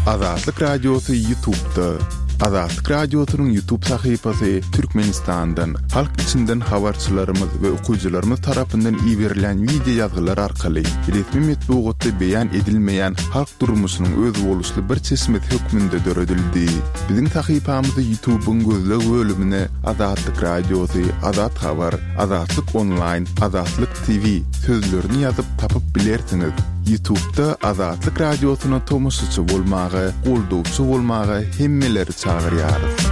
Azatlyk Radiosy Ýutubda. Azatlyk Radiosynyň Ýutub sahypasy Türkmenistandan, halk içinden habarçylarymyz we okyjylarymyz tarapyndan iberilýän wideo ýazgylar arkaly resmi metbugatda beýan edilmeýän halk durmuşynyň özboluşly bir çeşmesi hökmünde döredildi. Biziň sahypamyzy Ýutubyň gözleg bölümine Azatlyk Radiosy, Azat Habar, Azatlyk Onlaýn, Azatlyk TV sözlerini ýazyp tapyp bilersiňiz. Ýutubda Azatlyk Radiosyna tomaşaçy bolmaga, goldawçy bolmaga hemmeleri çagyrýarys.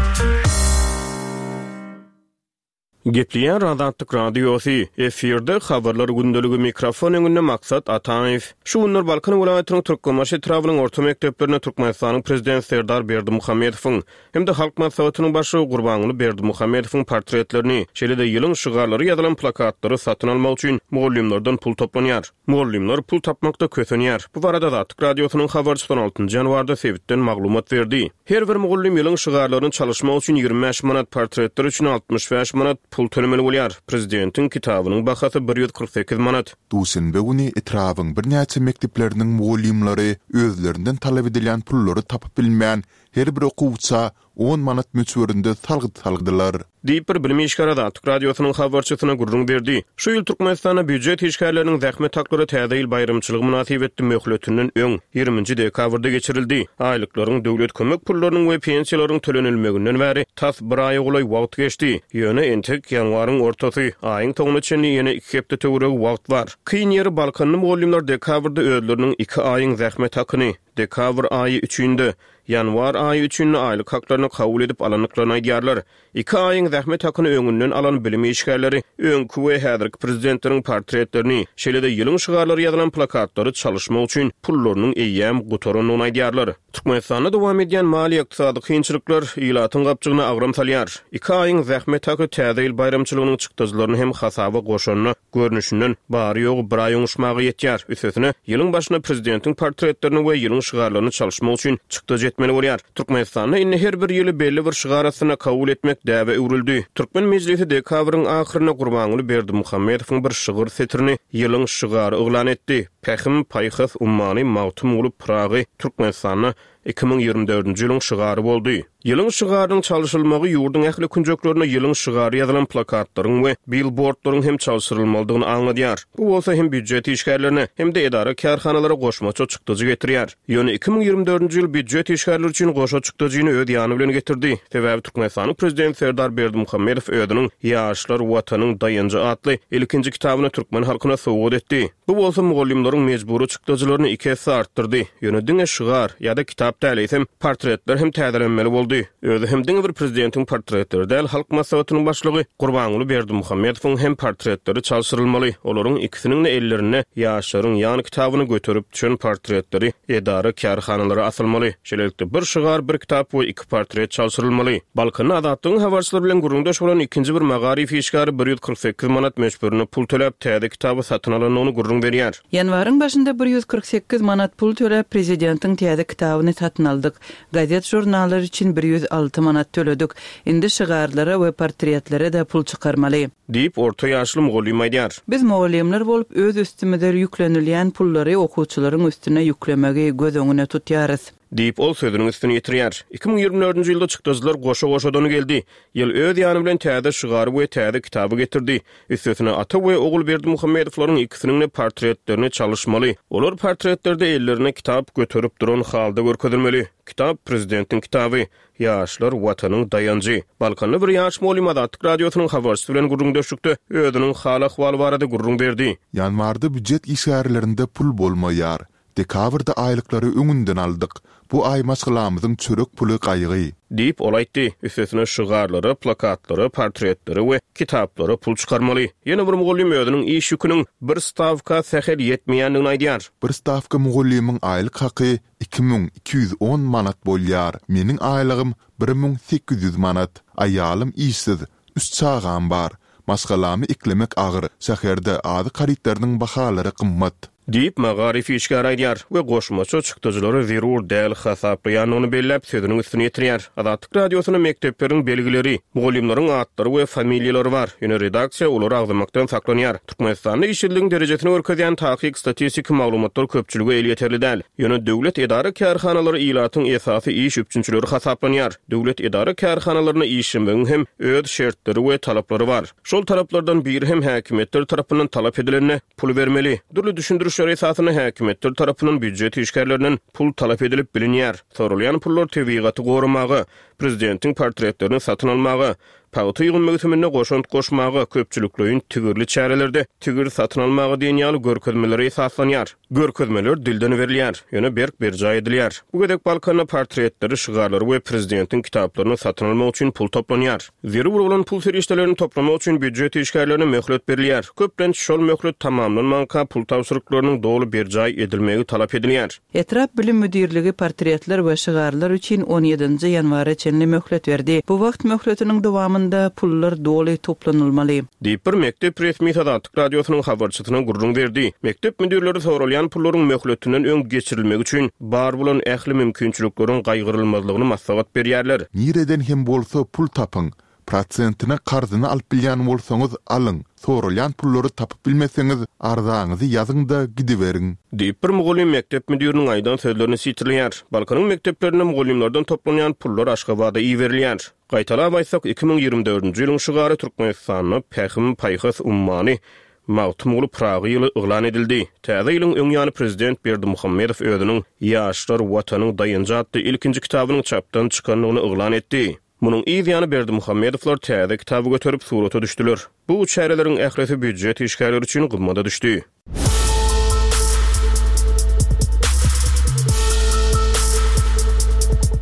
Gepleýär Azatlyk Radiosy, efirde Habarlar gündeligi mikrofon öňünde Maksat Ataýew. Şu günler Balkan welaýatynyň Türkmenbaşy etrabynyň orta mekdeplerinde Türkmenistanyň Prezidenti Serdar Berdimuhamedowyň hem-de Halk Maslahatynyň Başlygy Gurbanguly Berdimuhamedowyň portretlerini, şeýle-de ýylyň şygarlary ýazylan plakatlary satyn almak üçin mugallymlardan pul toplanýar. Mugallymlar pul tapmakda kösenýär. Bu barada Azatlyk Radiosynyň habarçysy on altynjy ýanwarda sebitden maglumat berdi. Her bir mugallym ýylyň şygarlaryny çalyşmak üçin 25 manat, portretler üçin 65 manat pul tölemeli bolýar. Prezidentiň kitabynyň bahasy 148 manat. Duşenbe güni etrabyň birnäçe mekdepleriniň mugallymlary özlerinden talap edilýän pullary tapyp bilmän, her bir okuwça on manat möçberinde salgyt saldylar. Diýip, bir bilim işgäri Azatlyk Radiosynyň habarçysyna gürrüň berdi. Şu ýyl Türkmenistanda býujet işgärleriniň zähmet haklary Täze ýyl baýramçylygy mynasybetli möhletinden öň, ýigriminji dekabrda geçirildi. Aýlyklaryň, döwlet kömek pullarynyň we pensiýalaryň tölenilmeginden bäri tas bir aýa golaý wagt geçdi. Ýöne entek ýanwaryň ortasy, aýyň soňuna çenli ýene iki hepde töweregi wagt bar. Kyn ýeri, balkanly mugallymlar dekabrda özleriniň iki aýyň zähmet hakyny, dekabr aýy üçin-de, ýanwar aýy üçin-de aýlyk haklaryny kabul edip alandyklaryny aýdýarlar. Iki aýyň zähmet hakyny öňünden alan bilim işgärleri öňki we häzirki prezidentleriň portretlerini, şeýle-de ýylyň şygarlary ýazylan plakatlary çalyşmak üçin pullarynyň eýýäm gutarandygyny aýdýarlar. Türkmenistanda dowam edýän maliýe-ykdysady kynçylyklar ilatyň gapjygyna agram salýar. Iki aýyň zähmet haky Täze ýyl baýramçylygynyň çykdajylaryny hem hasaba goşanda, Görnüşinden, bary-ýogy bir aý oňuşmaga ýetýär. Üstesine, ýylyň başynda prezidentiň portretlerini we ýylyň şygarlaryny çalyşmak üçin çykdajy etmeli bolýar. Türkmenistanda indi her bir ýyly belli bir şygar astynda kabul etmek däbe öwrüldi. Türkmen Mejlisi dekabryň ahyrynda Gurbanguly Berdimuhamedowyň bir şygyr setirini ýylyň şygary yglan etdi, Pähim, paýhas ummany Magtymguly Pyragy Türkmenistanda 2024-nji ýylyň şygary boldy. Ýylyň şygarynyň çalşyrylmagy ýurduň ähli künjeklerinde ýylyň şygary ýazylan plakatlaryň we bilbordlaryň hem çalşyrylmalydygyny aňladýar. Bu bolsa hem býujet işgärlerine, hem-de edara-kärhanalara goşmaça çykdajy getirýär. Ýöne 2024-nji ýyl býujet işgärleri üçin goşa çykdajyny öz ýany bilen getirdi. Sebäbi Türkmenistanyň Prezidenti Serdar Berdimuhamedow özüniň Ýaşlar, Watanyň daýanjy atly ilkinji kitabyny türkmen halkyna sowgat etdi. Bu bolsa mugallymlaryň mejbury çykdajylaryny iki esse artdyrdy. Ýöne diňe şygar ýa-da kitap däl, eýsem, portretler hem täzelenmeli boldy. Özi hem diňe bir prezidentiň portretleri däl, Halk Maslahatynyň başlygy Gurbanguly Berdimuhamedowyň hem portretleri çalşyrylmaly. Olaryň ikisiniň-de ellerinde Ýaşlaryň ýan kitabyny göterip düşen portretleri edara-kärhanalara asylmaly. Şeýlelikde, bir şygar, bir kitap we iki portret çalşyrylmaly. Balkanda Azatlygyň habarçylary bilen gürrüňdeş bolan ikinji bir magaryf işgäri 148 manat möçberinde pul töläp, täze kitaby satyn alandygyny gürrüň berýär. Ýanwaryň başynda 148 manat pul töläp, prezidentiň täze kitabyny satyn aldyk. Gazet-žurnallar üçin 106 manat töledik. Indi şygarlara we portretlere-de pul çykarmaly. Diýip, orta ýaşly mugallym aýdýar. Biz mugallymlar bolup öz üstümize ýüklenilýän pullary okuwçylaryň üstüne ýüklemegi göz öňüne tutýarys. Diýip, ol sözüniň üstüni ýetirýär. 2024-nji ýylda çykdajylar goşa-goşadan geldi. Ýyl öz ýany bilen täze şygary we täze kitaby getirdi. Üstesine, ata we ogul Berdimuhamedowlaryň ikisiniň-de portretlerini çalyşmaly. Olar portretlerde ellerinde kitap göterip duran halda görkezilmeli. Kitap, prezidentiň kitaby. Ýaşlar, Watanyň daýanjy. Balkanly bir ýaş mugallym Azatlyk Radiosynyň habarçysy bilen gürrüňdeşlikde özüniň hal-ahwaly barada gürrüň berdi. Ýanwarda býujet işgärlerinde pul bolmaýar. Dekabrda aýlyklary öňünden aldyk. Bu aý maşgalamyzyň çörek puly gaýgy. Diýip, ol aýtdy. Üstesine şygarlara, plakatlara, portretlere we kitaplara pul çykarmaly. Ýene bir mugallym özüniň iş ýüküniň bir stawka sähel ýetmeýändigini aýdýar. Bir stawka mugallymyň aýlyk haky 2210 manat bolýar. Meniň aýlygym 1800 manat. Aýalym işsiz. Üç çagam bar. Maşgalamy eklemek agyr. Şäherde azyk harytlarynyň bahalary gymmat. Diýip, magaryf işgäri aýdýar we goşmaça çykdajylary zerur däl hasaplaýandygyny belläp, sözüniň üstüni ýetirýär. Azatlyk Radiosynda mekdepleriň belgileri, mugallymlaryň atlary we familiýalary bar, ýöne redaksiýa olary agzamakdan saklanýar. Türkmenistanda işsizligiň derejesini görkezýän takyk statistiki maglumatlar köpçülige elýeterli däl. Ýöne döwlet edara-kärhanalary ilatyň esasy iş üpjünçileri hasaplanýar. Döwlet edara-kärhanalarynda işlemegiň hem öz şertleri we talaplary bar. Şol talaplardan biri hem häkimiýetler tarapyndan talap edilende pul bermeli. Dürli düşündirişler esasynda häkimiýetler tarapyndan býujet işgärlerinden pul talap edilip bilinýär. Soralýan pullar tebigaty goramaga, prezidentiň portretlerini satyn almaga, pagta ýygym möwsüminde goşant goşmaga, köpçülikleýin tigirli çärelerde tigir satyn almaga diýen ýaly görkezmelere esaslanýar. Görkezmeler dilden berilýär, ýöne berk berjaý edilýär. Bu gezek Balkanda portretleri, şygarlary we prezidentiň kitaplaryny satyn almak üçin pul toplanýar. Zerur bolan pul serişdelerini toplamak üçin býujet işgärlerine möhlet berilýär. Köplenç şol möhlet tamamlanmanka pul tabşyryklarynyň doly berjaý edilmegi talap edilýär. Etrap bilim müdirligi portretler we şygarlar üçin on ýedinji ýanwara çenli möhlet berdi. Bu wagt möhletiniň dowamynda pullar doly toplanylmaly. Diýip, bir mekdep resmisi Azatlyk Radiosynyň habarçysyna gürrüň berdi. Mekdep müdirleri soralýan pullaryň möhletinden öň geçirilmegi üçin bar bolan ähli mümkinçilikleriň gaýgyrylmazlygyny maslahat berýärler. Nireden hem bolsa pul tapyň. Prosentine karzyna alyp bilýän bolsaňyz alyň, soralýan pullary tapyp bilmeseňiz arzaňyzy ýazyň-da gidiberiň. Diýip, bir mugallym mekdep müdiriniň aýdan sözlerini sitirleýär. Balkanyň mekdeplerinde mugallymlardan toplanýan pullar Aşgabada iberilýär. Gaýtalap aýtsak, 2024-nji ýylyň şygary Türkmenistanda Pähim-paýhas ummany Magtymguly Pyragy ýyly yglan edildi. Täze ýylyň öň ýany prezident Berdimuhamedow özüniň Ýaşlar, Watanyň daýanjy atly ilkinji kitabynyň çapdan çykandygyny yglan etdi. Munuň yz ýany Berdimuhamedowlar täze kitaby göterip surata düşdüler. Bu çäreleriň ählisi býujet işgärleri üçin gymmada düşdi.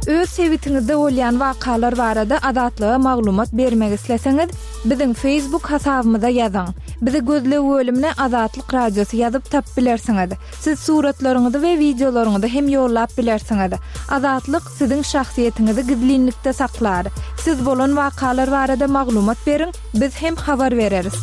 Öz sebitiňizde bolýan wakalar barada Azatlyga maglumat bermek isleseňiz, biziň Facebook hasabymyza ýazyň. Bizi gözleg bölümine Azatlyk Radiosy ýazyp tapyp bilersiňiz. Siz suratlaryňyzy we wideolaryňyzy hem ýollap bilersiňiz. Azatlyk siziň şahsyýetiňizi gizlinlikde saklar. Siz bolan wakalar barada maglumat beriň, biz hem habar bereris.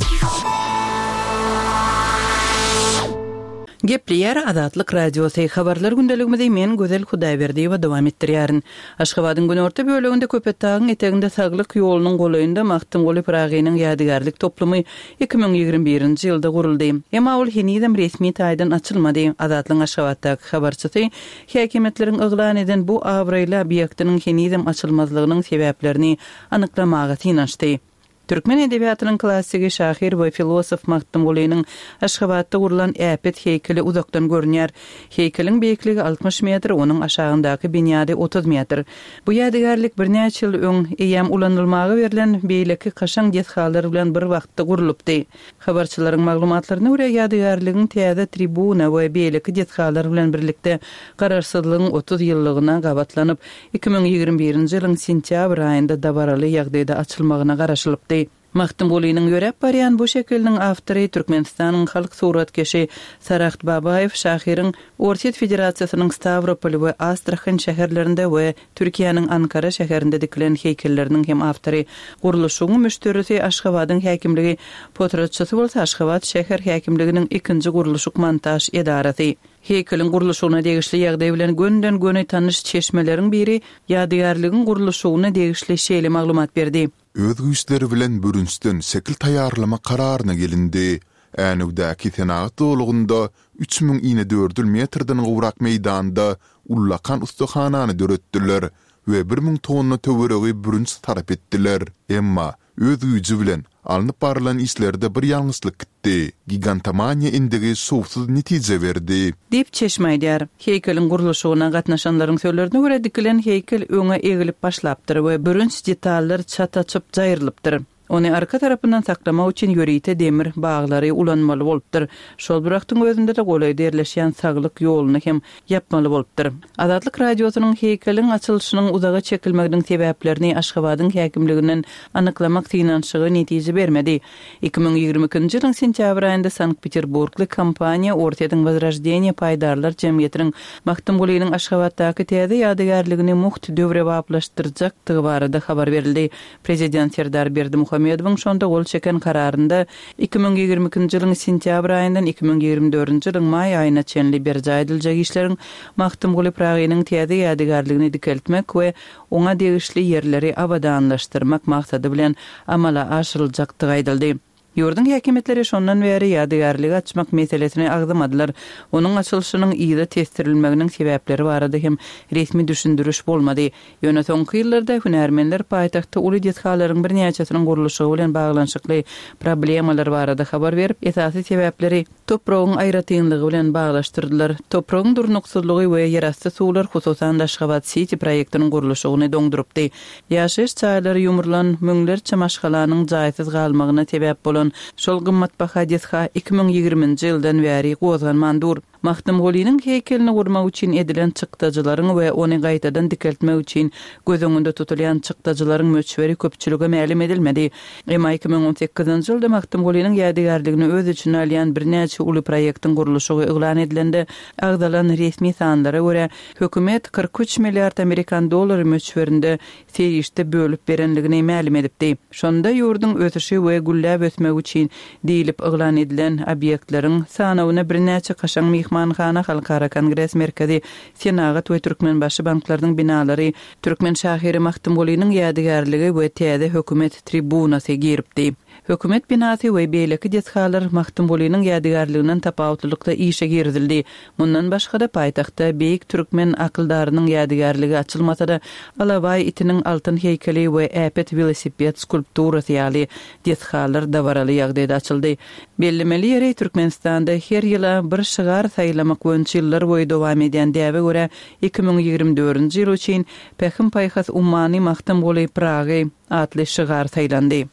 Gepleýär Azatlyk Radiosy, Habarlar gündeligimizi men Gözel Hudaýberdiýewa dowam etdirýärin. Aşgabadyň günorta böleginde Köpetdagyň eteginde Saglyk ýolunyň golaýynda Magtymguly Pyragynyň ýadygärlik toplumy 2021-nji ýylda guruldy. Emma ol henizem resmi taýdan açylmady. Azatlygyň Aşgabatdaky habarçysy häkimiýetleriň yglan eden bu abraýly obýektiniň henizem açylmazlygynyň sebäplerini anyklamaga synanyşdy. Türkmen edebiýatynyň klassigi, şahyr we filosof Magtymgulynyň Aşgabatda gurlan äpet heýkeli uzakdan görünýär. Heýkeliň beýikligi 60 metr, onuň aşagyndaky binýady 30 metr. Bu ýadygärlik birnäçe ýyl öň, eýýäm ulanylmaga berlen beýleki kaşaň desgalar bilen bir wagtda gurlupdy. Habarçylaryň maglumatlaryna görä, ýadygärligiň täze tribuna we beýleki desgalar bilen birlikde Garaşsyzlygyň 30 ýyllygyna gabatlanyp, 2021-nji ýylyň sentýabr aýynda dabaraly ýagdaýda açylmagyna garaşylypdy. Magtymgulynyň ýöräp barýan bu şekiliniň awtory Türkmenistanyň halk suratkeşi Saragt Babaýew şahyryň Orsýet Federasiýasynyň Stawropol we Astrahan şäherlerinde we Türkiýäniň Ankara şäherinde dikilen heýkelleriniň hem awtory. Gurluşygyň müşderisi Aşgabadyň häkimligi, potratçysy bolsa Aşgabat şäher häkimliginiň ikinji gurluşyk-montaž edarasy. Heýkeliň gurluşygyna degişli ýagdaý bilen gönden-göni tanyş çeşmeleriň biri ýadygärligiň gurluşygyna degişli şeýle maglumat berdi. Öz güýçleri bilen bürünçden şekil taýýarlamak kararyna gelindi. Änewdäki senagat zolagynda 3000 inedördül metrden gowrak meýdanda ullakan ussahanany döretdiler we 1000 tonna töweregi bürünç sarp etdiler. Emma, öz güýji bilen alnyp barylan işlerde bir ýalňyşlyk gitdi. Gigantomaniýa endigi şowsuz netije berdi. Diýip, çeşme aýdýar. Heýkeliň gurluşygyna gatnaşanlaryň sözlerine görä, dikilen heýkel öňe egilip başlapdyr we bürünç detallar çat açyp jaýrylypdyr. Ony arka tarapyndan saklamak üçin ýörite demir baglary ulanmaly bolupdyr. Şol bir wagtyň özünde-de golaýda ýerleşýän Saglyk ýoluny hem ýapmaly bolupdyr. Azatlyk Radiosynyň heýkeliň açylyşynyň uzaga çekilmeginiň sebäplerini Aşgabadyň häkimliginden anyklamak synanyşygy netije bermedi. 2022-nji ýylyň sentýabr aýynda Sankt-Peterburgly kompaniýa Orsýetiň Wozroždeniýe paýdarlar jemgyýetiniň Magtymgulynyň Aşgabatdaky täze ýadygärligini mugt döwrebaplaşdyrjakdygy barada habar berildi. Prezident Serdar Berdimuhamedow. Berdimuhamedowyň şonda gol çeken kararynda 2022-nji ýylyň sentýabr aýyndan 2024-nji ýylyň maý aýyna çenli berjaý ediljek işleriň Magtymguly Pyragynyň täze ýadygärligini dikeltmek we oňa degişli ýerleri abadanlaşdyrmak maksady bilen amala aşyryljakdygy aýdyldy. Ýurduň häkimiýetleri şondan bäri ýadygärligi açmak meselesini agzamadylar. Onuň açylyşynyň yza tesdirilmeginiň sebäpleri barada hem resmi düşündiriş bolmady. Ýöne soňky ýyllarda hünärmenler paýtagtda uly desgalaryň birnäçesiniň gurluşygy bilen baglanyşykly problemalar barada habar berip, esasy sebäpleri topragyň aýratynlygy bilen baglaşdyrdylar. Topragyň durnuksyzlygy we ýerasty suwlar, hususan-da, Aşgabat-siti proýektiniň gurluşygyny doňdurypdy. Ýaşaýyş jaýlary ýumrulan, müňlerçe maşgalanyň jaýsyz galmagyna sebäp bolan şol gymmatbaha desga 2020-nji ýyldan bäri gozganman dur. Magtymgulynyň heýkelini gurmak üçin edilen çykdajylaryň we ony gaýtadan dikeltmek üçin göz öňünde tutulýan çykdajylaryň möçberi köpçülige mälim edilmedi. Emma 2018-nji ýylda Magtymgulynyň ýadygärligini öz içine alýan birnäçe uly proýektiň gurluşygy yglan edilende agzalan resmi sanlara görä, hökümet 43 milliard amerikan dollary möçberinde serişde bölüp berenligini mälim edipdi. Şonda ýurduň ösüşi we gülläp ösmegi üçin diýlip yglan edilen obýektleriň sanawyna birnäçe kaşaň myhmanhana, Halkara kongres merkezi, Senagat we Türkmenbaşy banklarynyň binalary, türkmen şahyry Magtymgulynyň ýadygärligi we täze hökümet tribunasy giripdi. Hökümet binasy we beýleki desgalar Magtymgulynyň ýadygärliginden tapawutlylykda işe girizildi. Mundan başga-da, paýtagtda beýik türkmen akyldarynyň ýadygärligi açylmasa-da, alabaý itiniň altyn heýkeli we äpet welosiped skulpturasy ýaly desgalar dabaraly ýagdaýda açyldy. Bellemeli ýeri, Türkmenistanda her ýyla bir şygar saýlamak boýunça ýyllarboýy dowam edýän däbe görä, 2024-nji ýyl üçin Pähim-paýhas ummany Magtymguly Pyragy atly şygar saýlandy.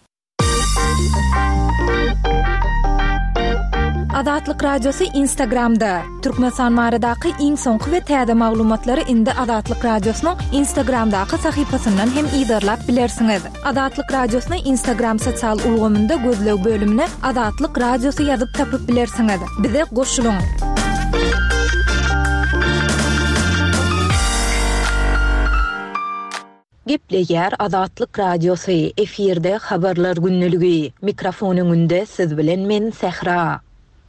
Azatlyk Radiosy Instagramda, Türkmenistan baradaky iň soňky we täze maglumatlary indi Azatlyk Radiosynyň Instagramdaky sahypasyndan hem yzarlap bilersiňiz. Azatlyk Radiosyny Instagram sosial ulgamynda gözleg bölümine Azatlyk Radiosy ýazyp tapyp bilersiňiz. Bize goşulyň! Gepleýär Azatlyk Radiosy, efirde Habarlar gündeligi. Mikrofon öňünde siz bilen men Sähra.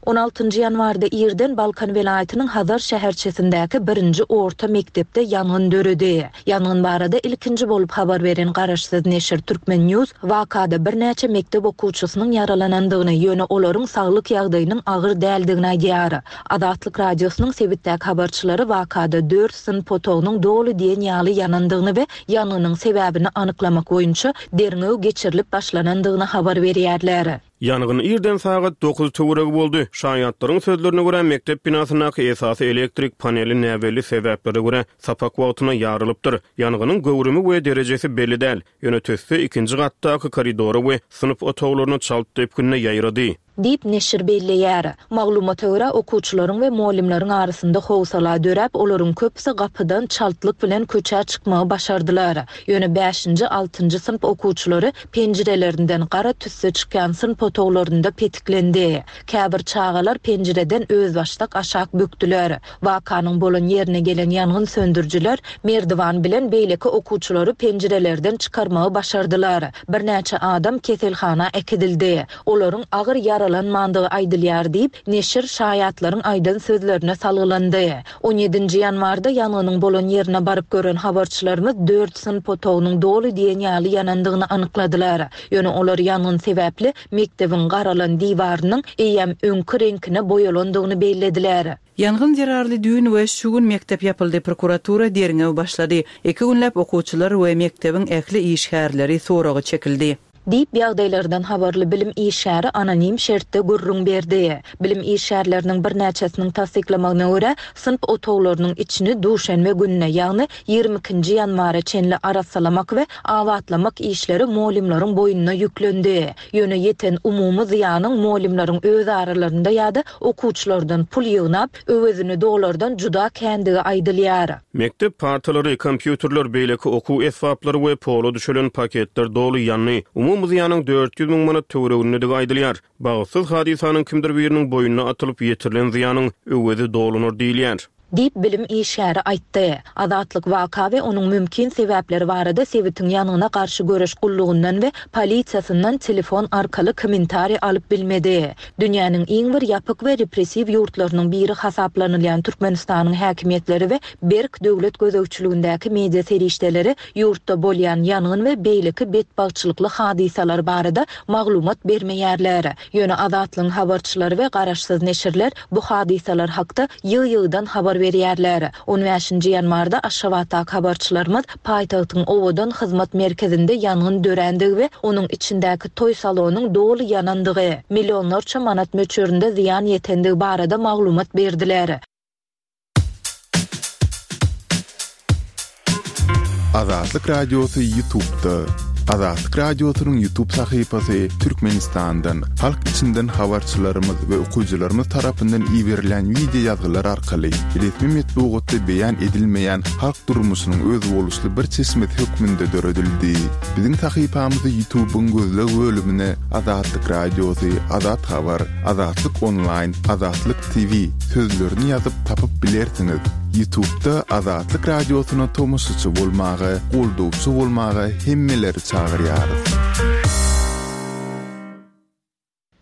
On altynjy ýanwarda irden Balkan welaýatynyň Hazar şäherçesindäki birinji orta mekdepde ýangyn döredi. Ýangyn barada ilkinji bolup habar beren garaşsyz neşir Turkmen. News wakada birnäçe mekdep okuwçysynyň ýaralanandygyny, ýöne olaryň saglyk ýagdaýynyň agyr däldigini aýdýar. Azatlyk Radiosynyň sebitdäki habarçylary wakada dört synp otagynyň doly diýen ýaly ýanandygyny we ýangynyň sebäbini anyklamak boýunça derňew geçirilip başlanandygyny habar berýärler. Ýangyn irden sagat dokuz töweregi boldy. Şaýatlaryň sözlerine görä, mekdep binasyndaky esasy elektrik paneli näbelli sebäplere görä sapak wagtynda ýarylypdyr. Ýangynyň göwrümi we derejesi belli däl. Ýöne tüsse ikinji gatdaky koridora we synp otaglaryna çalt depginde ýaýrady. Diýip, neşir belleýär. Maglumata görä, okuwçylaryň we mugallymlaryň arasynda howsala döräp, olaryň köpüsi gapydan çaltlyk bilen köçä çykmagy başardylar. Ýöne bäşinji, altynjy synp okuwçylary penjirelerinden gara tüsse çykýan synp otaglarynda petiklendi. Käbir çagalar penjireden özbaşdak aşak bökdüler. Wakanyň bolan ýerine gelen ýangyn söndürijiler merdiwan bilen beýleki okuwçylary penjirelerden çykarmagy başardylar. Birnäçe adam keselhana äkidildi. Olaryň agyr ýaralanmandygy aýdylýar diýip, neşir şaýatlaryň aýdan sözlerine salgylandy. On ýedinji ýanwarda ýangynyň bolan ýerine baryp gören habarçylarymyz dört synp otagynyň doly diýen ýaly ýanandygyny anykladylar. Ýöne olar ýangyn sebäpli mekdebiň garalan diwarynyň eýýäm öňki reňkine boýalandygyny bellediler. Ýangyn zerarly düýn we şu gün mekdep ýapyldy, prokuratura derňew başlady. Iki günläp okuwçylar we mekdebiň ähli işgärleri soraga çekildi. Diýip, ýagdaýlardan habarly bilim işgäri anonim şertde gürrüň berdi. Bilim işgärleriniň birnäçesiniň tassyklamagyna görä, synp otaglarynyň içini duşenbe gününe, ýagny ýigrimi ikinji ýanwara çenli arassalamak we abatlamak işleri mugallymlaryň boýnuna ýüklendi. Ýöne ýeten umumy zyýanyň mugallymlaryň öz aralarynda ýa-da okuwçylardan pul ýygnap, öwezini dolardan juda kändigi aýdylýar. Mekdep partalary, kompýuterler, beýleki okuw esbaplary we pola düşelen paketler doly ýandy. Umumy zyýanyň 400 müň manat töweregindedigi aýdylýar. Bagtsyz hadysanyň kimdir biriniň boýnuna atylyp ýetirilen zyýanyň öwezi dolunar diýilýär. Diýip, bilim işgäri aýtdy. Azatlyk waka we onuň mümkin sebäpleri barada sebitiň ýangyna garşy göreş gullugyndan we polisiýasyndan telefon arkaly kommentariý alyp bilmedi. Dünýäniň iň bir ýapyk we repressiw ýurtlarynyň biri hasaplanylýan Türkmenistanyň häkimiýetleri we berk döwlet gözegçiligindäki media serişdeleri ýurtda bolýan ýangyn we beýleki betbagtçylykly hadysalar barada maglumat bermeýärler. Ýöne Azatlygyň habarçylary we garaşsyz neşirler bu hadysalar hakda ýygy-ýygydan habar berýärler. On bäşinji ýanwarda Aşgabatdaky habarçylarymyz paýtagtyň Owadan hyzmat merkezinde ýangyn dörändigi we onuň içindäki toý salonyň doly ýanandygy, millionlarça manat möçberinde zyýan ýetendigi barada maglumat berdiler. Azatlyk Radiosy Ýutubda. Azatlyk Radiosynyň Ýutub sahypasy Türkmenistandan, halk içinden habarçylarymyz we okyjylarymyz tarapyndan iberilýän wideo ýazgylar arkaly resmi metbugatda beýan edilmeýän halk durmuşynyň özboluşly bir çeşmesi hökmünde döredildi. Biziň sahypamyzy Ýutubyň gözleg bölümine Azatlyk Radiosy, Azat Habar, Azatlyk Onlaýn, Azatlyk TV sözlerini ýazyp tapyp bilersiňiz. Ýutubda Azatlyk Radiosyna tomaşaçy bolmaga, goldawçy bolmaga hemmeleri çagyrýarys.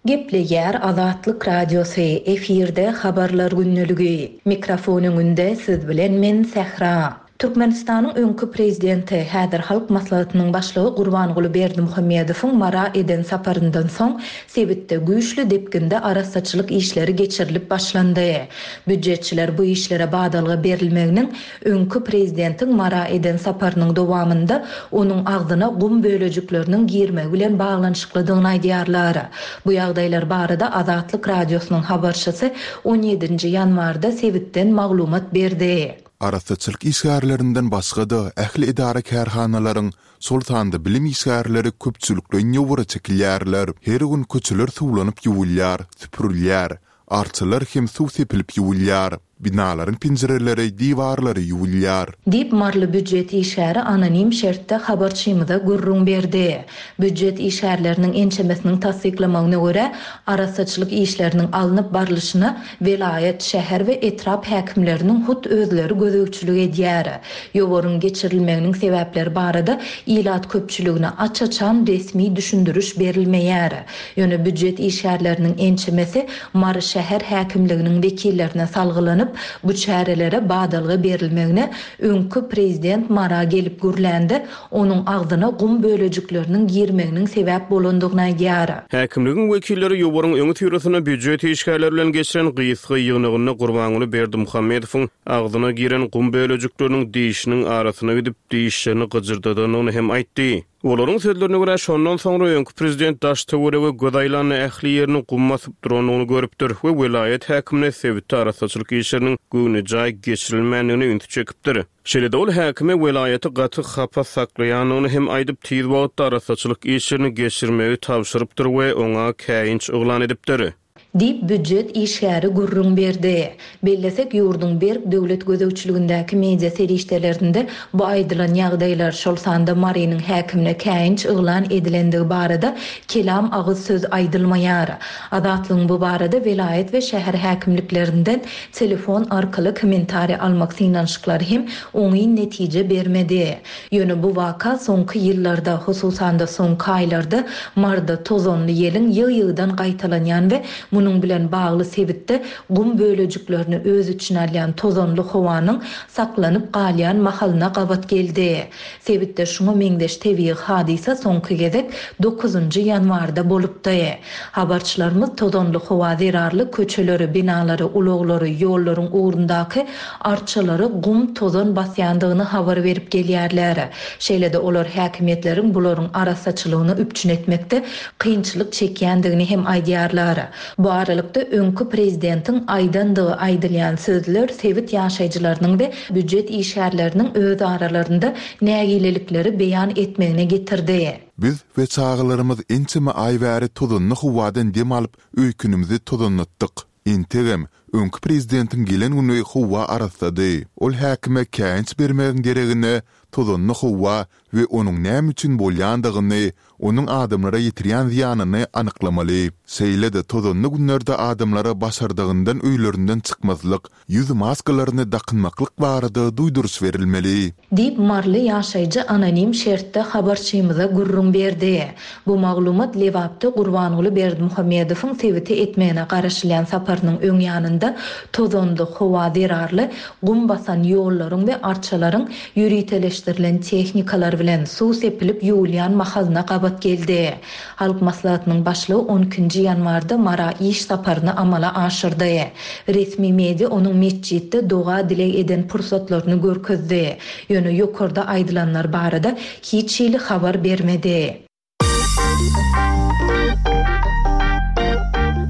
Gepleýär Azatlyk Radiosy, efirde Habarlar gündeligi. Mikrofon öňünde siz bilen men Sähra. Türkmenistanyň öňki prezidenti, häzir Halk Maslahatynyň Başlygy Gurbanguly Berdimuhamedowyň Mara eden saparyndan soň, sebitde güýçli depginde arassaçylyk işleri geçirilip başlandy. Býujetçiler bu işlere badalga berilmeginiň öňki prezidentiň Mara eden saparynyň dowamynda onuň agzyna gum bölejikleriniň girmegi bilen baglanyşyklydygyny aýdýarlar. Bu ýagdaýlar barada Azatlyk Radiosynyň habarçysy on ýedinji ýanwarda sebitden maglumat berdi. Arassaçylyk işgärlerinden başga-da, ähli edara-kärhanalaryň, şol sanda bilim işgärleri köpçülikleýin ýowara çekilýärler. Her gün köçeler suwlanyp ýuwulýar, süpürilýär. Arçalar hem suw sepilip ýuwulýar. Binalaryň penjireleri, diwarlary ýuwulýar. Diýip, maryly býujet işgäri anonim şertde habarçymyza gürrüň berdi. Býujet işgärleriniň ençemesiniň tassyklamagyna görä, arassaçylyk işleriniň alnyp barlyşyna welaýat, şäher we etrap häkimleriniň hut özleri gözegçilik edýär. Ýowaryň geçirilmeginiň sebäpleri barada ilat köpçüligine aç-açan resmi düşündiriş berilmeýär. Ýöne býujet işgärleriniň ençemesi Mary şäher häkimliginiň wekillerine salgylanyp, bu çärelere badalga berilmegine öňki prezident Mara gelip gürlände onuň agzyna gum bölejikleriniň girmeginiň sebäp bolandygyny aýdýar. Häkimligiň wekilleri ýowaryň öňüsyrasynda býujet işgärleri bilen geçiren gysga ýygnagynda Gurbanguly Berdimuhamedowyň agzyna giren gum bölejikleriniň dişiniň arasyna gidip, dişlerini gyjyrdadandygyny hem aýtdy. Olaryň sözlerine görä, şondan soňra öňki prezident daş-töwerege göz aýlanda ähli ýerini gum basyp durandygyny görüpdir we welaýat häkimine sebitde arassaçylyk işleriniň göwnejaý geçirilmändigine ünsi çekipdir. Şeýle-de ol häkime welaýaty gaty hapa saklaýandygyny hem aýdyp, tiz wagtda arassaçylyk işlerini geçirmegi tabşyrypdyr we oňa käýinç yglan edipdir. Diýip, býujet işgäri gürrüň berdi. Bellesek, ýurduň berk döwlet gözegçiligindäki media serişdelerinde bu aýdylan ýagdaýlar, şol sanda Marynyň häkimine käýinç yglan edilendigi barada kelam agyz söz aýdylmaýar. Azatlygyň bu barada welaýat we şäher häkimliklerinden Telefon arkaly kommentariý almak synanyşyklary hem oňyn netije bermedi. Ýöne bu waka soňky ýyllarda, hususan-da soňky aýlarda Maryda tozanly ýeliň ýygy-ýygydan gaýtalanýan we munuň bilen bagly sebitde gum bölejiklerini öz içine alýan tozanly howanyň saklanyp galýan mahalyna gabat geldi. Sebitde şuňa meňzeş tebigy hadysa soňky gezek dokuzynjy ýanwarda bolupdy. Habarçylarymyz tozanly howa zerarly köçeleri, binalary, ulaglary, ýollaryň ugrundaky arçalary gum, tozan basýandygyny habar berip gelýärler. Şeýle-de olar häkimiýetleriň bularyň arassaçylygyny üpjün etmekde kynçylyk çekýändigini hem aýdýarlar. Bu aralykda, öňki prezidentiň aýdandygy aýdylýan sözler sebit ýaşaýjylarynyň we býujet işgärleriniň öz aralarynda nägilelikleri beýan etmegine getirdi. Biz we çagalarymyz ençeme aý bäri tozanly howadan dem alyp, öýkenimizi tozanlatdyk. Entegem, Öňki prezidentiň gelen güni howa arassady. Ol häkime käýinç bermegiň deregine, tozanly howa we onuň näme üçin bolýandygyny, onuň adamlara ýetirýän zyýanyny anyklamaly. Şeýle-de tozanly günlerde adamlara başardygyndan öýlerinden çykmazlyk, ýüz maskalaryny dakynmaklyk barada duýduryş berilmeli. Diýip, maryly ýaşaýjy anonim şertde habarçymyza gürrüň berdi. Bu maglumat Lebapda Gurbanguly Berdimuhamedowyň sebite etmegine garaşylýan saparynyň öň ýanynda tozanly howa zerarly gum basan ýollaryň we arçalaryň ýöriteleşdirilen tehnikalar bilen suw sepilip ýuwulýan mahalyna gabat geldi. Halk Maslahatynyň başlygy on ikinji ýanwarda Mara iş saparyny amala aşyrdy. Resmi media onuň metjitde doga-dileg eden pursatlaryny görkezdi. Ýöne ýokarda aýdylanlar barada hiç hili habar bermedi.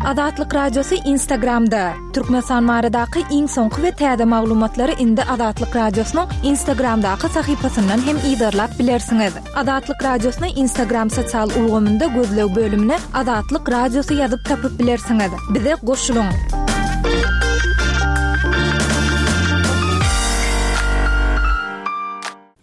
Azatlyk Radiosy Instagramda, Türkmenistan baradaky iň soňky we täze maglumatlary indi Azatlyk Radiosynyň Instagramdaky sahypasyndan hem yzarlap bilersiňiz. Azatlyk Radiosyny Instagram sosial ulgamynda gözleg bölümine Azatlyk Radiosy ýazyp tapyp bilersiňiz. Bize goşulyň!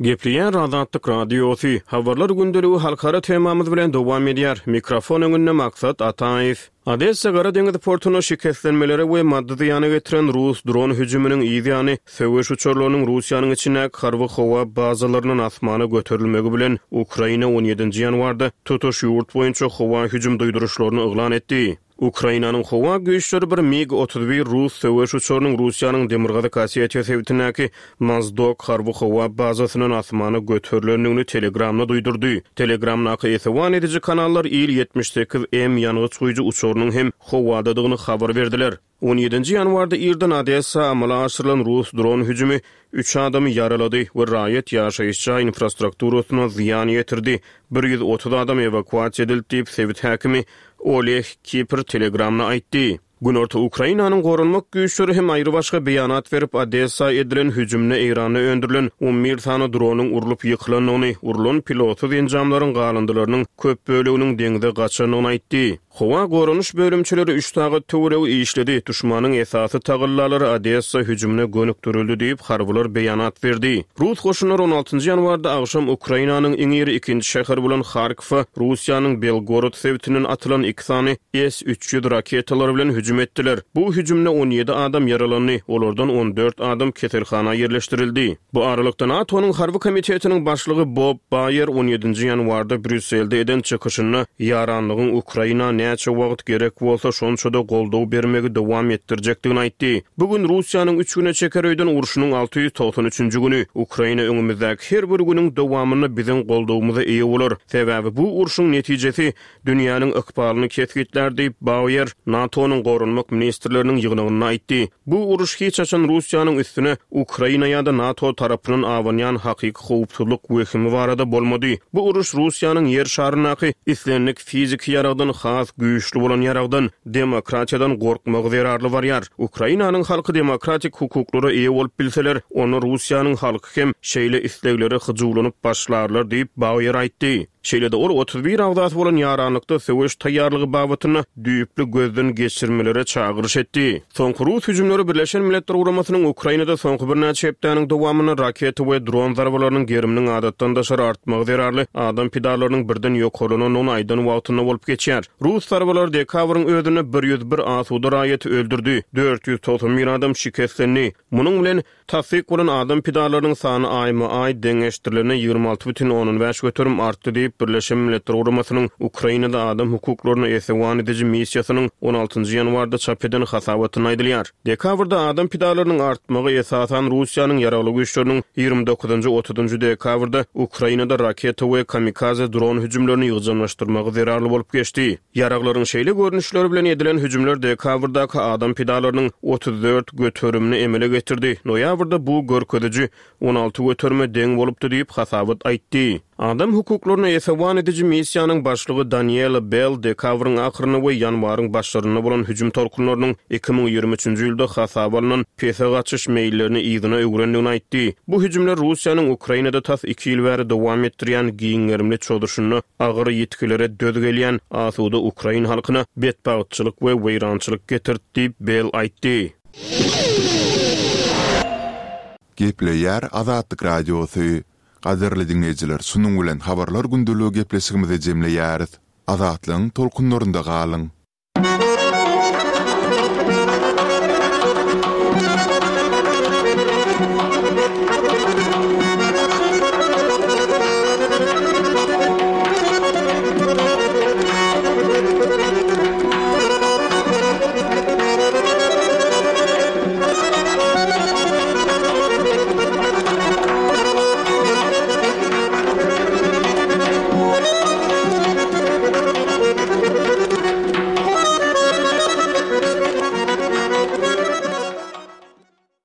Gepleýär Azatlyk Radiosy, Habarlar gündeligi halkara temamyz bilen dowam edýär. Mikrofon öňünde Maksat Ataýew. Odessa Gara deňiz portunda şikeslenmelere we maddy zyýana getiren rus dron hüjüminiň yz ýany, söweş uçarlarynyň Russiýanyň içindäki harby howa bazalaryndan asmana göterilmegi bilen, Ukraina on ýedinji ýanwarda tutuş ýurt boýunça howa hüjüm duýduryşlaryny yglan etdi. Ukrainanyň howa güýçleri bir MiG 31 rus söweş uçarynyň Russiýanyň Demirgazyk Osetiýa sebitindäki Mozdok harby howa bazasyndan asmana göterilendigini Telegramda duýdurdy. Telegramdaky esewan ediji kanallar Il-78 M ýangyç guýujy uçarynyň hem howadadygyny habar berdiler. On ýedinji ýanwarda irden Odessa amala aşyrylan rus dron hüjümi üç adamy ýaralady we raýat ýaşaýyş jaý infrastrukturasyna zyýan ýetirdi, 130 adam ewakuasiýa edildi diýip, sebit häkimi Oleh Kiper Telegramda aýtdy. Günorta Ukrainanyň goranmak güýçleri hem aýrybaşga beýanat berip, Odessa edilen hüjümde Eýranda öndürilen on bir sany dronyň urlup ýykylandygyny, urlan pilotsyz enjamlaryň galyndylarynyň köp böleginiň deňze gaçandygyny aýtdy. Howa goranyş bölümçeleri üç sagat töweregi işledi, duşmanyň esasy tagallalary Odessa hüjümine gönükdirildi diýip, harbylar beýanat berdi. Rus goşunlary on altynjy ýanwarda agşam Ukrainanyň iň iri ikinji şäheri bolan Harkowa Russiýanyň Belgorod sebitinden atylan iki sany S 300 raketalary bilen hüjüm etdiler. Bu hüjümde 17 adam ýaralandy, olardan 14 adam keselhana ýerleşdirildi. Bu aralykda, NATO-nyň Harby komitetiniň başlygy Bob Baýer on ýedinji ýanwarda Brýusselde eden çykyşynda ýaranlygyň Ukraina näçe wagt gerek bolsa, şonça-da goldaw bermegi dowam etdirjekdigini aýtdy. Bu gün Russiýanyň üç güne çeker öýden urşunyň 693-nji güni. Ukraina öňümizdäki her bir günüň dowamynda biziň goldawymyza eýe bolar. Sebäbi bu urşuň netijesi dünýäniň ykbalyny kesgitlär diýip, Bauer NATO-nyň goranmak ministrleriniň ýygnagynda aýtdy. Bu uruş hiç haçan Russiýanyň üstüne Ukraina ýa-da NATO tarapyndan abanýan hakyky howpsuzlyk wehimi barada bolmady. Bu uruş Russiýanyň Ýer şaryndaky islendik fiziki ýaragdan has güýçli bolan ýaragdan, demokratiýadan gorkmagy zerarly barýar. Ukrainanyň halky demokratik hukuklara eýe bolup bilseler, onda Russiýanyň halky hem şeýle isleglere hyjuwlanyp başlarlar diýip, Bauer aýtdy. Şeýle-de ol 31 agzasy bolan ýaranlykda söweş taýýarlygy babatynda düýpli gözden geçirmelere çagyryş etdi. Soňky rus hüjümleri Birleşen Milletler Guramasynyň Ukrainada soňky birnäçe hepdäniň dowamynda raketa we dron zarbalarynyň geriminiň adatdan daşary artmagy zerarly adam pidalarynyň birden ýokarlanandygyny aýdan wagtynda bolup geçýär. Rus zarbalary dekabryň özünde 101 asuda raýaty öldürdi, 491 adam şikeslendi. Munuň bilen, Tassyk bolan adam pidalarynyň sany aýma-aý deňeşdirilende 26,5% artdy diýip, Birleşen Milletler Guramasynyň Ukrainada adam hukuklaryna esewan ediji missiýasynyň on altynjy ýanwarda çap eden hasabatynda aýdylýar. Dekabrda adam pidalarynyň artmagy esasan Russiýanyň ýaragly güýçleriniň ýigrimi dokuzynjy, otuzynjy dekabrda Ukrainada raketa we kamikaze dron hüjümlerini ýygjamlaşdyrmagy zerarly bolup geçdi. Ýaraglaryň şeýle görnüşleri bilen edilen hüjümler dekabrdaky adam pidalarynyň 34 göterimini emele getirdi, noýabrda bu görkeziji 16 göterime deň bolupdy diýip, hasabat aýtdy. Adam hukuklaryna esewan ediji missiýanyň başlygy Daniela Bell dekabryň ahyrynda we ýanwaryň başlarynda bolan hüjüm tolkunlarynyň 2023-nji ýylda hasaba alnan pese gaçyş meýillerini yzyna öwrendigini aýtdy. Bu hüjümler Russiýanyň Ukrainada tas iki ýyl bäri dowam etdirýän giň gerimli çozuşynda agyr ýitgilere döz gelýän asuda ukrain halkyna betbagtçylyk we weýrançylyk getirdi diýip, Bell aýtdy. Gepleýär Azatlyk Radiosy. Gadyrly diňleýjiler, şunuň bilen Habarlar gündeligi gepleşigimizi jemleýäris. Azatlygyň tolkunlarynda galyň!